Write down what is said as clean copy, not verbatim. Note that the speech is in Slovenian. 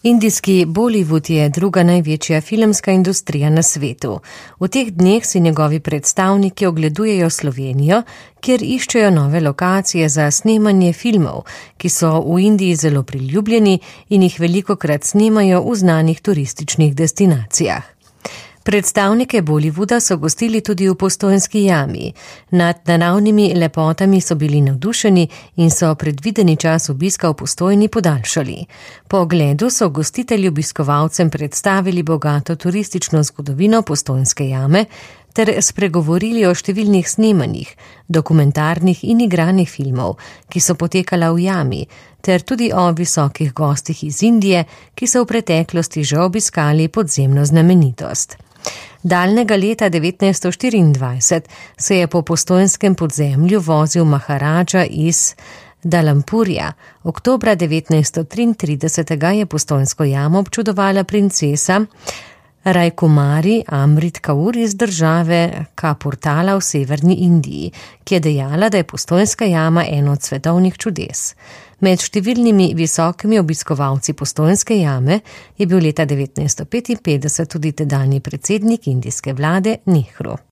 Indijski Bollywood je druga največja filmska industrija na svetu. V teh dneh si njegovi predstavniki ogledujejo Slovenijo, kjer iščejo nove lokacije za snemanje filmov, ki so v Indiji zelo priljubljeni in jih velikokrat snemajo v znanih turističnih destinacijah. Predstavnike Bollywooda so gostili tudi v Postojnski jami. Nad naravnimi lepotami so bili navdušeni in so predvideni čas obiska v Postojni podaljšali. Po ogledu so gostitelji obiskovalcem predstavili bogato turistično zgodovino Postojnske jame ter spregovorili o številnih snemanjih, dokumentarnih in igranih filmov, ki so potekala v jami, ter tudi o visokih gostih iz Indije, ki so v preteklosti že obiskali podzemno znamenitost. Daljnega leta 1924 se je po postojnskem podzemlju vozil Maharadža iz Dalampurja. Oktobra 1933 je Postojnsko jamo občudovala princesa Rajkumari Amrit Kaur iz države Kapurtala v severni Indiji, ki je dejala, da je Postojnska jama eno od svetovnih čudes. Med številnimi visokimi obiskovalci Postojnske jame je bil leta 1955 tudi tedanji predsednik indijske vlade Nehru.